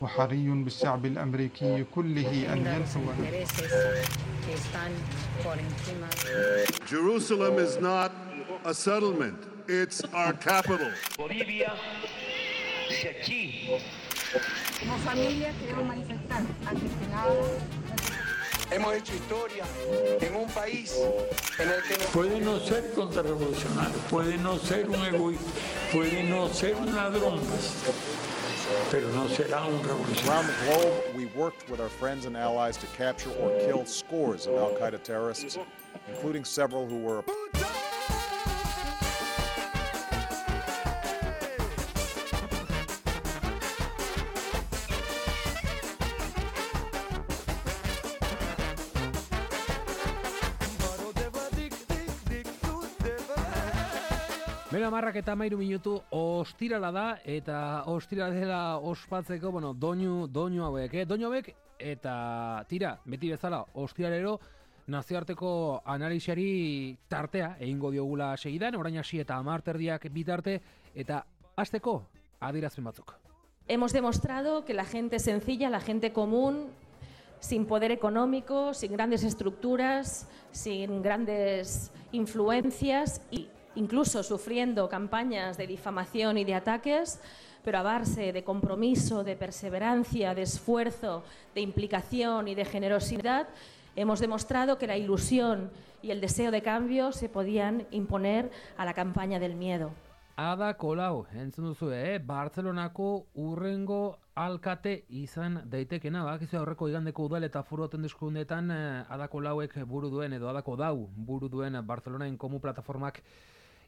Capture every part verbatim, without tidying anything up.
وحري بالشعب الأمريكي كله أن ينسوا. Jerusalem is not a settlement, it's our capital. Bolivia, si aquí. Como familia queremos manifestar ante el Senado. Hemos hecho historia en un país en el que no... Puede no ser contrarrevolucionario, puede no ser un egoísta, puede no ser un ladrón, pero no será un revolucionario. Around the globe, we worked with our friends and allies to capture or kill scores of al-Qaeda terrorists, including several who were... Bera marrak eta mairu minutu ostirala da, eta ostirala dela ospatzeko, bueno, doinu, doinu hauek, eh? Doinu hauek, eta tira, beti bezala, ostiralero, nazioarteko analisiari tartea, egingo diogula segidan, orain hasi eta amarterdiak bitarte, eta hasteko adierazpen batzuk. Hemos demostrado que la gente sencilla, la gente común, sin poder económico, sin grandes estructuras, sin grandes influencias y incluso sufriendo campañas de difamación y de ataques, pero a base de compromiso, de perseverancia, de esfuerzo, de implicación y de generosidad, hemos demostrado que la ilusión y el deseo de cambio se podían imponer a la campaña del miedo. Ada Colau, entzun duzu, eh? Bartzelonako urrengo alkate izan daitekena, bakizu aurreko igandeko udal eta foru hauteskundeetan eh, Ada Colauek buru duen edo Ada Colau buru duen Bartzelonaen Komu plataformak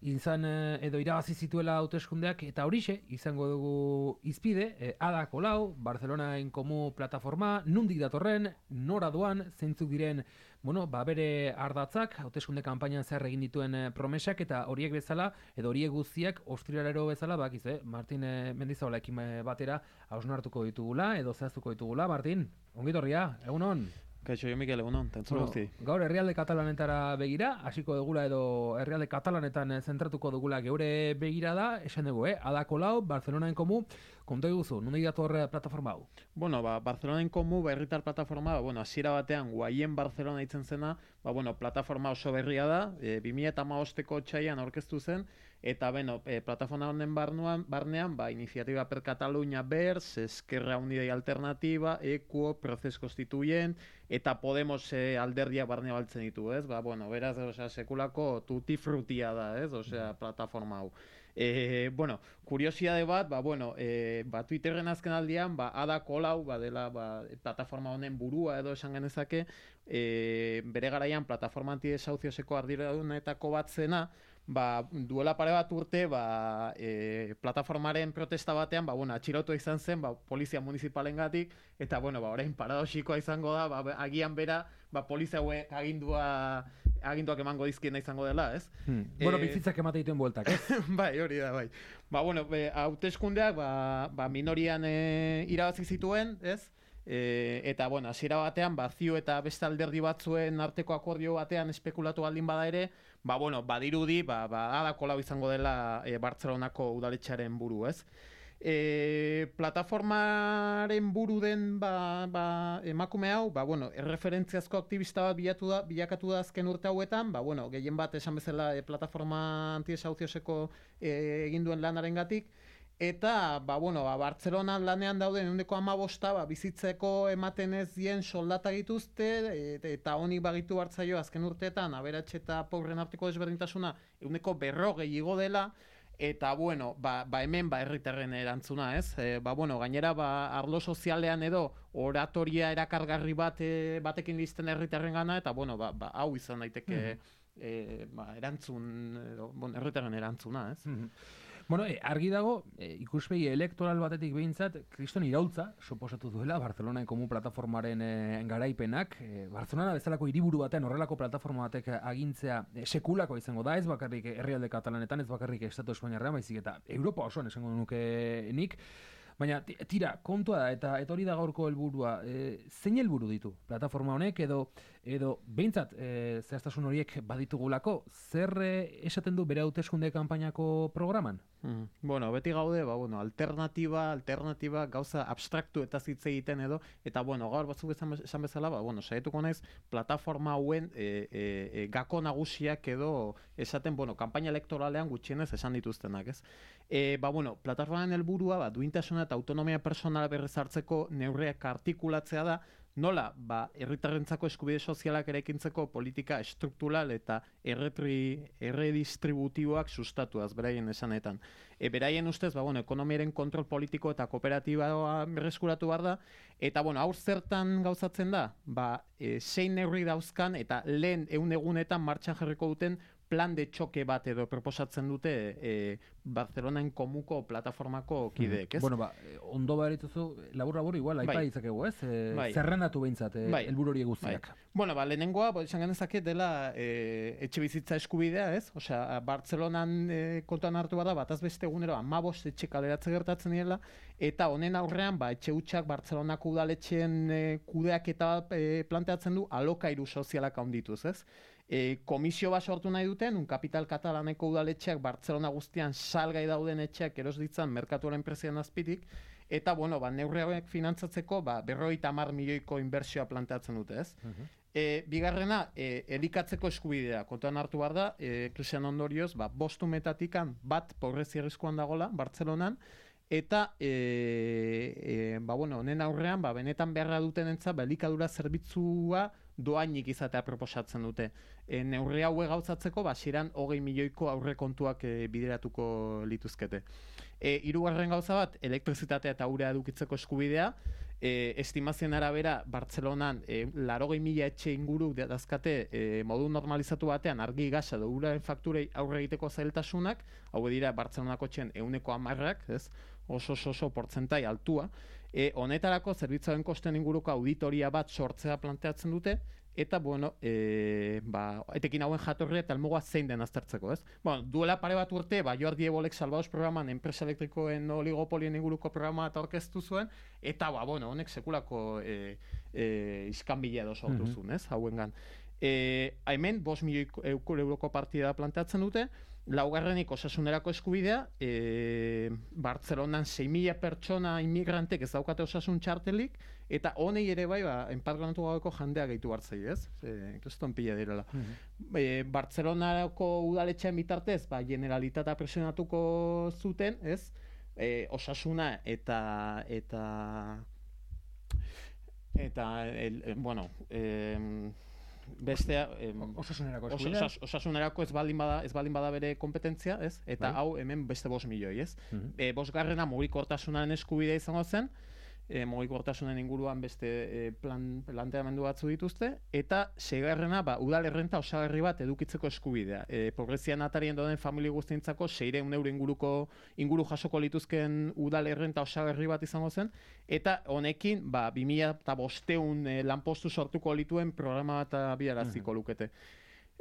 izan edo irabazi zituela hauteskundeak, eta horixe izango dugu izpide, eh, Ada Colau, Bartzelonaen Komu plataforma, nundik datorren, nora doan, zeintzuk diren, bueno, ba bere ardatzak, hauteskunde kanpainan zer egin dituen eh, promesak, eta horiek bezala, edo horiek guztiak ostiralero bezala, bakiz, eh, Martin eh, Mendizabalarekin batera hausnartuko ditugula, edo zehaztuko ditugula, Martin, ongitorria, egun on? Kaixo, jo Mikel, egunon, tentzun bueno, guzti. Gaur herrialde katalanetara begira, hasiko dugula edo herrialde katalanetan zentratuko dugula geure begira da, esan dugu, eh? Ada Colau, Bartzelonaen Komu, konta eguzu, nundik dator plataforma hau? Bueno, ba, Bartzelonaen Komu, berritar plataforma, bueno, hasiera batean, guaien Bartzelona itzen zena, ba, bueno, plataforma oso berria da, e, bi mila hamabosteko txaian aurkeztu zen, eta, bueno, e, plataforma honen barnuan, barnean, ba, Iniciativa per Catalunya Verds, Esquerra Unida y Alternativa, Equo, Proces Constituyent, eta Podemos e, alderdiak barne baltzen ditu, ez? Ba, bueno, beraz, osea, sekulako tutti frutia da, ez? Osea, plataforma hau. E, bueno, kuriosidade bat, ba, bueno, e, ba, Twitterren azken aldian, ba, Ada Colau, ba, dela, ba, plataforma honen burua edo esan genezake, e, bere garaian plataforma antidesauzioseko arduradunetako bat zena, ba, duela pare bat urte, ba, e, plataformaren protesta batean, ba, bueno, atxilotu izan zen, ba, polizia municipalengatik, eta, bueno, ba, orain paradoxikoa izango da, ba, agian bera, ba, polizia hauek agindua, aginduak emango dizkiena izango dela, ez? Hmm. Bueno, e... bizitzak ematen dituen bueltak, ez? Bai, hori da, bai. Ba, bueno, hauteskundeak, ba, ba, minorian e, irabazi zituen, ez? E, eta, bueno, hasiera batean, ba, zio eta beste alderdi batzuen arteko akordio batean espekulatu baldin bada ere, ba, bueno, badirudi, ba, ba, Ada Colau izango dela e, Bartzelonako udaletxearen buru, ez? E, plataformaren buru den ba, ba, emakume hau, ba, bueno, erreferentziazko aktivista bat bilatu da, bilakatu da azken urte hauetan, ba, bueno, gehien bat esan bezala e, plataforma antidesauzioseko e, egin duen lanarengatik, eta, ba, bueno, ba, Bartzelonan lanean dauden ehuneko hamabosta, ba, bizitzeko ematen ez dien soldata dituzte, et, eta honik bagitu bartzaio azken urteetan, aberats eta pobren arteko desberdintasuna ehuneko berrogei igo dela, eta, bueno, ba, ba hemen ba herritarren erantzuna, ez? E, ba, bueno, gainera, ba, arlo sozialean edo oratoria erakargarri bat e, batekin listen herritarren gana, eta, bueno, ba, ba, hau izan daiteke mm. e, ba, erantzun, edo, bueno, herritarren erantzuna, ez? Mm-hmm. Bueno, e, argi dago, e, ikuspegi elektoral batetik behintzat, kriston iraultza, suposatu duela, Bartzelonaen Komu plataformaren e, garaipenak. E, Bartzelona bezalako hiriburu batean horrelako plataforma batek agintzea e, sekulako izango da, ez bakarrik herrialde katalanetan, ez bakarrik Estatu Espainiarrean, baizik eta Europa osoan esango nuke nik. Baina, tira, kontua da, eta, eta hori da gaurko helburua. E, zein helburu ditu plataforma honek, edo edo behintzat e, zehaztasun horiek baditugulako, zer e, esaten du bere hauteskunde kanpainako programan? Mm. Bueno, beti gaude, ba, bueno, alternatiba, alternatiba, gauza abstraktu eta hitz egiten edo, eta bueno, gaur batzuk esan, esan bezala, ba, bueno, saietuko naiz plataforma hauen e, e, e, gako nagusiak edo esaten, bueno, kanpaina elektoralean gutxienez esan dituztenak, ez? E, ba, bueno, plataformaren helburua, ba, duintasuna eta autonomia personala berriz hartzeko neurriak artikulatzea da, nola, ba, herritarrentzako eskubide sozialak eraikintzeko politika estruktural eta erretri, erredistributiboak sustatuaz, beraien esanetan. E, beraien ustez, ba, bueno, ekonomiaren kontrol politiko eta kooperatiba berreskuratu behar da, eta, bueno, hau zertan gauzatzen da, ba, e, zein neurri dauzkan eta lehen ehun egunetan martxan jarriko duten plan de txoke bat edo proposatzen dute e, Barcelonaen komuko plataformako kideek, ez? Bueno, ba, ondo barituzu, labur-labur igual, aipa bai. Itzakegu, ez? E, bai. Zerrendatu behintzat, e, bai. helburu horiek guztiak. Bai. Bueno, ba, lehenengoa, bo, esan genezake dela e, etxe bizitza eskubidea, ez? Osea, Bartzelonan e, kontuan hartu bada, bataz beste egunero amabost etxe kaleratze gertatzen direla, eta honen aurrean, ba, etxe hutsak Bartzelonako udaletxeen e, kudeak eta e, planteatzen du alokairu sozialak handituz, ez? E, komisio bat sortu nahi duten, un kapital katalaneko udaletxeak Bartzelona guztian salgai dauden etxeak eros ditzan merkatuaren prezioen azpitik, eta, bueno, ba, neurri hauek finantzatzeko, ba, berrogeita hamar milioiko inbertsioa planteatzen dute, ez? Uh-huh. e, bigarrena, e, elikatzeko eskubidea, kontuan hartu behar da, e, krisian ondorioz, ba, bost umetatikan bat pobrezi arriskuan dagola, Bartzelonan, eta, e, e, ba, bueno, honen aurrean, ba, benetan beharra dutenentza, ba, elikadura zerbitzua doainik izatea proposatzen dute. E, neurri haue gauzatzeko, ba, siran hogei milioiko aurrekontuak e, bideratuko lituzkete. E, hirugarren gauza bat, elektrizitatea eta urea edukitzeko eskubidea, e, estimazioen arabera, Bartzelonan e, larogei mila etxe inguru dazkate e, modu normalizatu batean argi gasa edo uraren fakturei aurre egiteko zailtasunak, hau dira Bartzelonako txen ehuneko hamarrak, ez? Oso oso oso portzentai altua. E, honetarako zerbitzuen kosten inguruko auditoria bat sortzea planteatzen dute, eta, bueno, e, ba, etekin hauen jatorria eta helmuga zein den aztertzeko, ez? Bueno, duela pare bat urte, ba, Jordi Ebolek Salvados programan enpresa elektrikoen oligopolien inguruko programa eta aurkeztu zuen, eta, ba, bueno, honek sekulako e, e, iskanbila edo sortu Mhm. zuen, ez? Hauengan. E, hemen, bost milioi euroko partida planteatzen dute, laugarrenik osasunerako eskubidea, e, Bartzelonan sei mila pertsona inmigrantek ez daukate osasun txartelik, eta honei ere bai, ba, enpartganatu gaueko jendea gehitu hartzei, ez? E, Kriston pila direla. Mhm. E, Bartzelonako udaletxean bitartez, ba, generalitatea presionatuko zuten, ez? E, osasuna eta eta eta el, el, bueno, eh, bestea eh, Osasunerako osa- eskubidea. osas- osasunerako ez baldin bada ez baldin bada bere kompetentzia, ez? Eta Bai. hau hemen beste bost milioi, ez? Mhm. E, bosgarrena mugikortasunaren eskubidea izango zen, e, mugikortasunen inguruan beste e, plan, planteamendu batzu dituzte, eta seigarrena, ba, udal errenta osagarri bat edukitzeko eskubidea. E, pobrezian atarien dauden familia guztientzako seiehun euro inguruko inguru jasoko lituzken udal errenta osagarri bat izango zen, eta honekin, ba, bi mila bostehun e, lanpostu sortuko lituen programa bat abiaraziko lukete.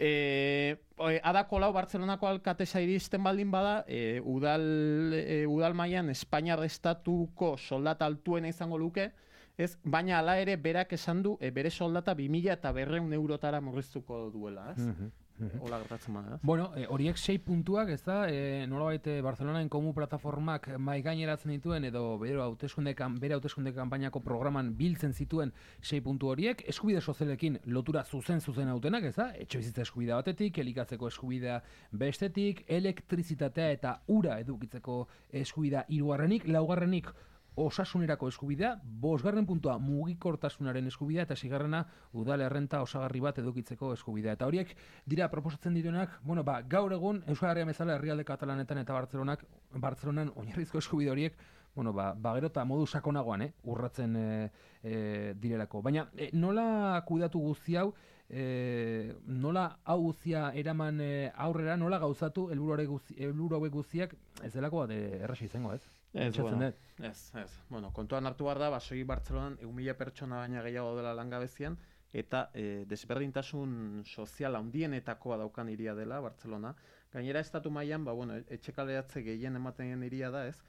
E, adako lau Bartzelonako alkatesa iristen baldin bada, e, udal, e, udal mailan Espainiar estatuko soldata altuena izango luke, ez? Baina hala ere berak esan du e, bere soldata bi mila eta berrehun eurotara murriztuko duela, ez? Mhm. Hola gertatzen bada, ez? Bueno, e, horiek sei puntuak, ez da, e, nolabait e, Barcelonaen komu plataformak mai gaineratzen dituen edo bere hauteskunde kan- bere hauteskunde kanpainako programan biltzen zituen sei puntu horiek, eskubide sozialekin lotura zuzen zuzen hautenak, ez da, etxe bizitza eskubidea batetik, elikatzeko eskubidea bestetik, elektrizitatea eta ura edukitzeko eskubidea hirugarrenik, laugarrenik osasunerako eskubidea, bosgarren puntua mugikortasunaren eskubidea eta seigarrena udal errenta osagarri bat edukitzeko eskubidea. Eta horiek dira proposatzen direnak, bueno, ba, gaur egun Euskal Herria bezala herrialde katalanetan eta Bartzelonak, Bartzelonan oinarrizko eskubide horiek, bueno, ba, ba gero eta modu sakonagoan, eh, urratzen e, e, direlako. Baina e, nola kudeatu guzti hau, e, nola hau guztia eraman e, aurrera, nola gauzatu helburu guzti, helburu hauek guztiak, ez delako bat e, erraza izango, ez? Ez, Pentsatzen bueno, dut. ez, ez. Bueno, kontuan hartu behar da, basoi Bartzelonan ehun mila pertsona baina gehiago dela langabezian, eta e, desberdintasun sozial handienetakoa daukan hiria dela Bartzelona. Gainera estatu mailan, ba, bueno, etxe kaleratze gehien ematen den hiria da, ez?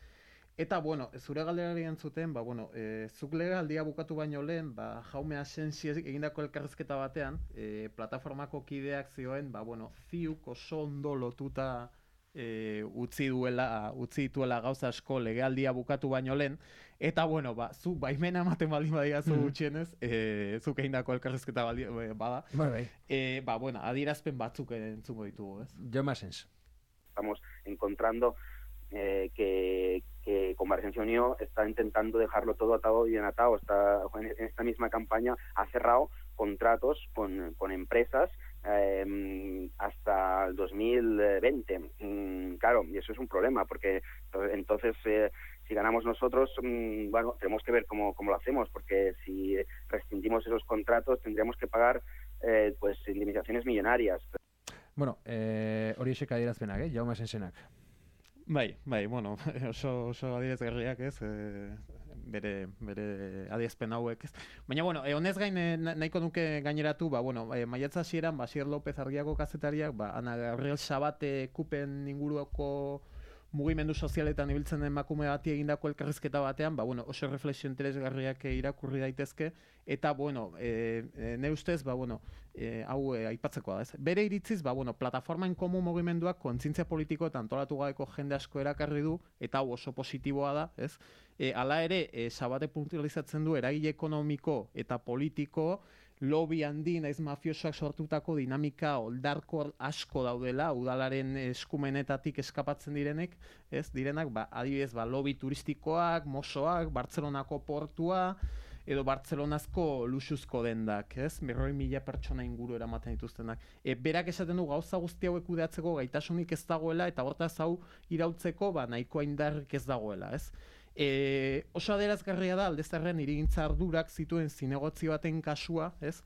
Eta, bueno, zure galderari entzuten, ba, bueno, e, zuk legealdia bukatu baino lehen, ba, Jaume Asensi egindako elkarrizketa batean, e, plataformako kideak zioen, ba, bueno, ziuk oso ondo lotuta e, utzi duela, utzi dituela gauza asko legealdia bukatu baino lehen, eta, bueno, ba, zu baimena ematen baldin badiazu gutxienez, e, zuk egindako elkarrizketa baldi, bada, bai, bai. E, ba, bueno, adierazpen batzuk entzungo ditugu, ez? Jaume Asens. Estamos encontrando Eh, que, que Convergencia y Unión está intentando dejarlo todo atado y bien atado. Está, en esta misma campaña ha cerrado contratos con, con empresas eh, hasta el dos mil veinte. Mm, claro, y eso es un problema, porque entonces eh, si ganamos nosotros, mmm, bueno, tenemos que ver cómo, cómo lo hacemos, porque si rescindimos esos contratos tendríamos que pagar eh, pues indemnizaciones millonarias. Bueno, eh, hori esek adierazpenak, eh? Jaume Asensenak. Bai, bai, bueno, oso, oso adierazgarriak ez, e, bere, bere adierazpen hauek ez. Baina, bueno, e, honez gain e, nahiko nuke gaineratu, ba, bueno, e, maiatza hasieran Basier López Argiako kazetariak, ba, Ana Gabriel Sabate kupen inguruko mugimendu sozialetan ibiltzen den emakume bati egindako elkarrizketa batean, ba, bueno, oso reflexio interesgarriak irakurri daitezke, eta, bueno, e, e, ne ustez, ba, bueno, e, hau e, aipatzekoa da, ez? Bere iritziz, ba, bueno, plataforma en komun mugimenduak kontzientzia politiko eta antolatu gabeko jende asko erakarri du, eta hau oso positiboa da, ez? E, hala ere, e, Sabate puntualizatzen du eragile ekonomiko eta politiko, lobby handi naiz mafiosoak sortutako dinamika oldarkor asko daudela, udalaren eskumenetatik eskapatzen direnek, ez direnak, ba, adibidez, ba, lobby turistikoak, mosoak, Bartzelonako portua, edo Bartzelonazko luxuzko dendak, ez? Berroi mila pertsona inguru eramaten dituztenak. E, berak esaten du gauza guzti hauek kudeatzeko gaitasunik ez dagoela, eta hortaz hau irautzeko, ba, nahikoa indarrik ez dagoela, ez? E, oso adierazgarria da aldezarren irigintza ardurak zituen zinegotzi baten kasua, ez?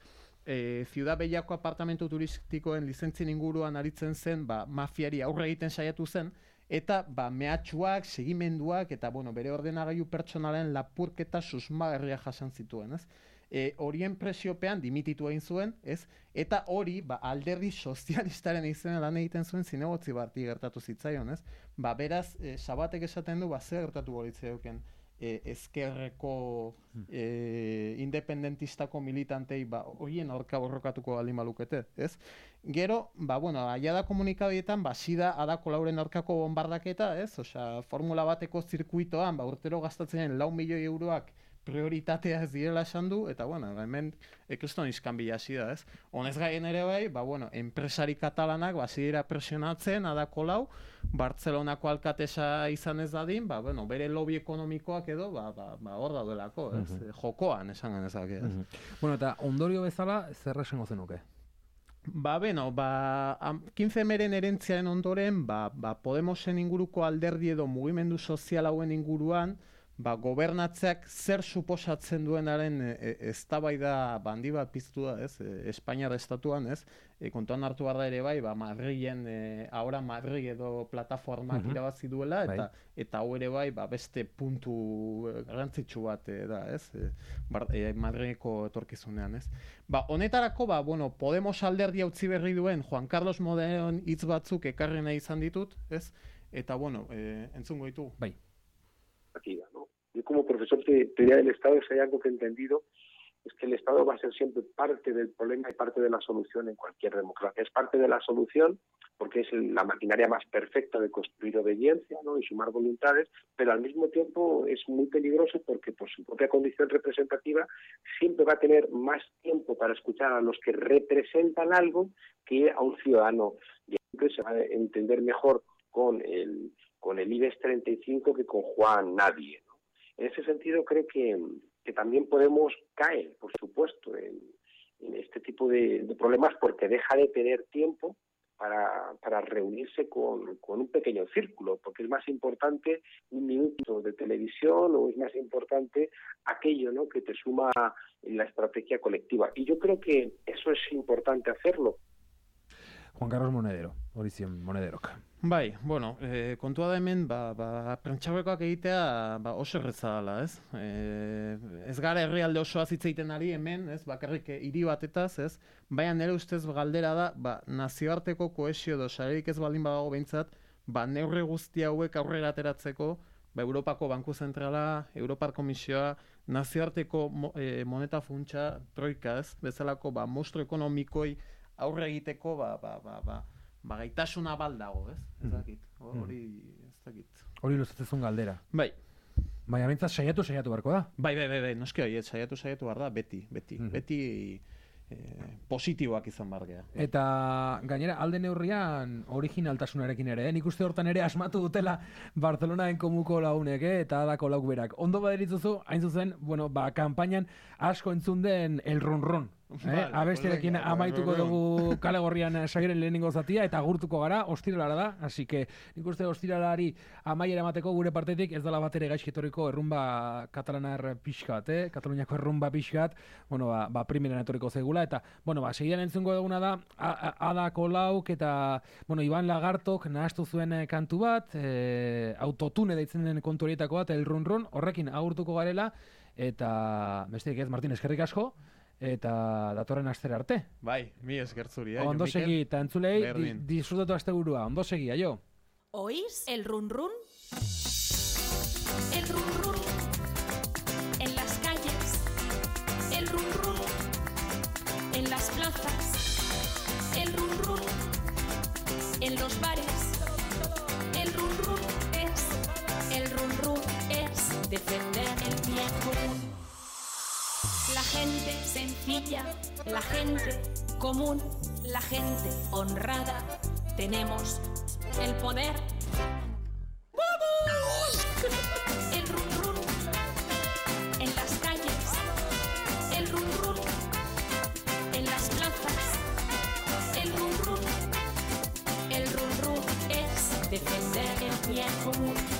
E, Ciudad Bellako apartamentu turistikoen lizentzien inguruan aritzen zen, ba, mafiari aurre egiten saiatu zen, eta ba, mehatxuak, segimenduak, eta bueno, bere ordenagailu pertsonalen lapurketa susmagarria jasan zituen, ez? E, horien presiopean dimititu egin zuen, ez? Eta hori, ba, alderdi sozialistaren izena lan egiten zuen zinegotzi bati gertatu zitzaion, ez? Ba, beraz, e, Sabatek esaten du, ba, zer gertatu goritzeuken e, ezkerreko e, independentistako militantei, ba, horien aurka borrokatuko baldin balukete, ez? Gero, ba, bueno, aia da komunikabietan, ba, sida adako lauren aurkako bombardaketa, ez? Osea, formula bateko zirkuitoan, ba, urtero gastatzen lau milioi euroak prioritatea ez direla esan du, eta, bueno, hemen ekriston iskanbila hasi da, ez? Honez gaien ere bai, ba, bueno, enpresari katalanak, ba, zidera presionatzen, adako lau, Bartzelonako alkatesa izan ez dadin, ba, bueno, bere lobby ekonomikoak edo, ba, ba, ba hor daudelako, ez? Uh-huh. Jokoan, esan genezak, ez? Uh-huh. Bueno, eta ondorio bezala, zer esango zenuke? Ba, beno, ba, quince meren erentziaren ondoren, ba, ba, Podemosen inguruko alderdi edo mugimendu sozial hauen inguruan, ba, gobernatzeak zer suposatzen duenaren eztabaida e, bandi bat piztu da, ez? E, Espainiar estatuan, ez? E, kontuan hartu behar da ere bai, ba, Madrilen, e, ahora Madrid edo plataformak uh-huh. irabazi duela, eta bai. Eta hau ere bai, ba, beste puntu garrantzitsu bat e, da, ez? E, bar, e, Madrileko etorkizunean, ez? Ba, honetarako, ba, bueno, Podemos alderdia utzi berri duen Juan Carlos Modeon hitz batzuk ekarri nahi izan ditut, ez? Eta, bueno, e, entzungo ditu. Bai. ¿no? Yo como profesor de teoría del Estado, si hay algo que he entendido es que el Estado va a ser siempre parte del problema y parte de la solución en cualquier democracia. Es parte de la solución porque es la maquinaria más perfecta de construir obediencia, ¿no? Y sumar voluntades, pero al mismo tiempo es muy peligroso porque por su propia condición representativa siempre va a tener más tiempo para escuchar a los que representan algo que a un ciudadano. Y siempre se va a entender mejor con el con el IBEX treinta y cinco que con Juan Nadie, ¿no? En ese sentido creo que, que también Podemos caer, por supuesto, en, en este tipo de, de problemas porque deja de tener tiempo para, para reunirse con, con un pequeño círculo, porque es más importante un minuto de televisión o es más importante aquello, ¿no?, que te suma en la estrategia colectiva. Y yo creo que eso es importante hacerlo. Juan Carlos Monedero, hori zion Monederok. Bai, bueno, e, kontua da hemen, ba, ba, prentxaurrekoak egitea ba, oso erretza dela, ez? E, ez gara herrialde osoa hitz egiten ari hemen, ez? Bakarrik hiri batetaz, ez? Baina nire ustez galdera da, ba, nazioarteko kohesio edo sarerik ez baldin badago behintzat, ba, neurri guzti hauek aurrera ateratzeko, ba, Europako Banku Zentrala, Europar Komisioa, nazioarteko mo, e, moneta funtsa, troika ez, bezalako ba, mostro ekonomikoi aurre egiteko ba, ba, ba, ba, ba, gaitasuna baldago, ez? Ez dakit, hori ez dakit. Hori luzatzezun galdera. Bai. Baina bintzat saiatu saiatu beharko da. Bai, bai, bai, bai, noski hori, saiatu saiatu behar da, beti, beti, mm. beti eh, positiboak izan behar geha. Eta gainera, alde neurrian originaltasunarekin ere, eh? Nik uste hortan ere asmatu dutela Barcelonaen komuko lagunek, eh? Eta adako lauk berak. Ondo baderitzuzu, hain zuzen, bueno, ba, kanpainan asko entzun den el ronron. Eh? Abesterekin amaituko dugu kale gorrian sagiren lehenengo zatia eta agurtuko gara, ostiralara da, así que nik uste ostiralari amaiera emateko gure partetik ez dela bat ere gaizketoriko errumba katalanar pixkat, eh? Kataluniako errumba pixkat, bueno, ba, ba primeran etoriko zegula, eta, bueno, ba, segidan entzungo duguna da, Ada Colauk eta, bueno, Iban Lagartok nahastu zuen kantu bat, eh, autotune deitzen den kontu horietako bat, el ronron, horrekin agurtuko garela, eta, besterik ez, Martin, eskerrik asko, eta datorren astera arte. Bai, mi eskertzuri, eh? Ondo segi, eta entzulei, di, disfrutatu azte burua. Ondo segi, aio. ¿Oís el run run? El run run. En las calles. El run run. En las plazas. El run run. En los bares. El run run es. El run run es defender el bien común. La gente sencilla, la gente común, la gente honrada, tenemos el poder. ¡Vamos! El run run en las calles, el run run en las plazas, el run run, el run run es defender el bien común.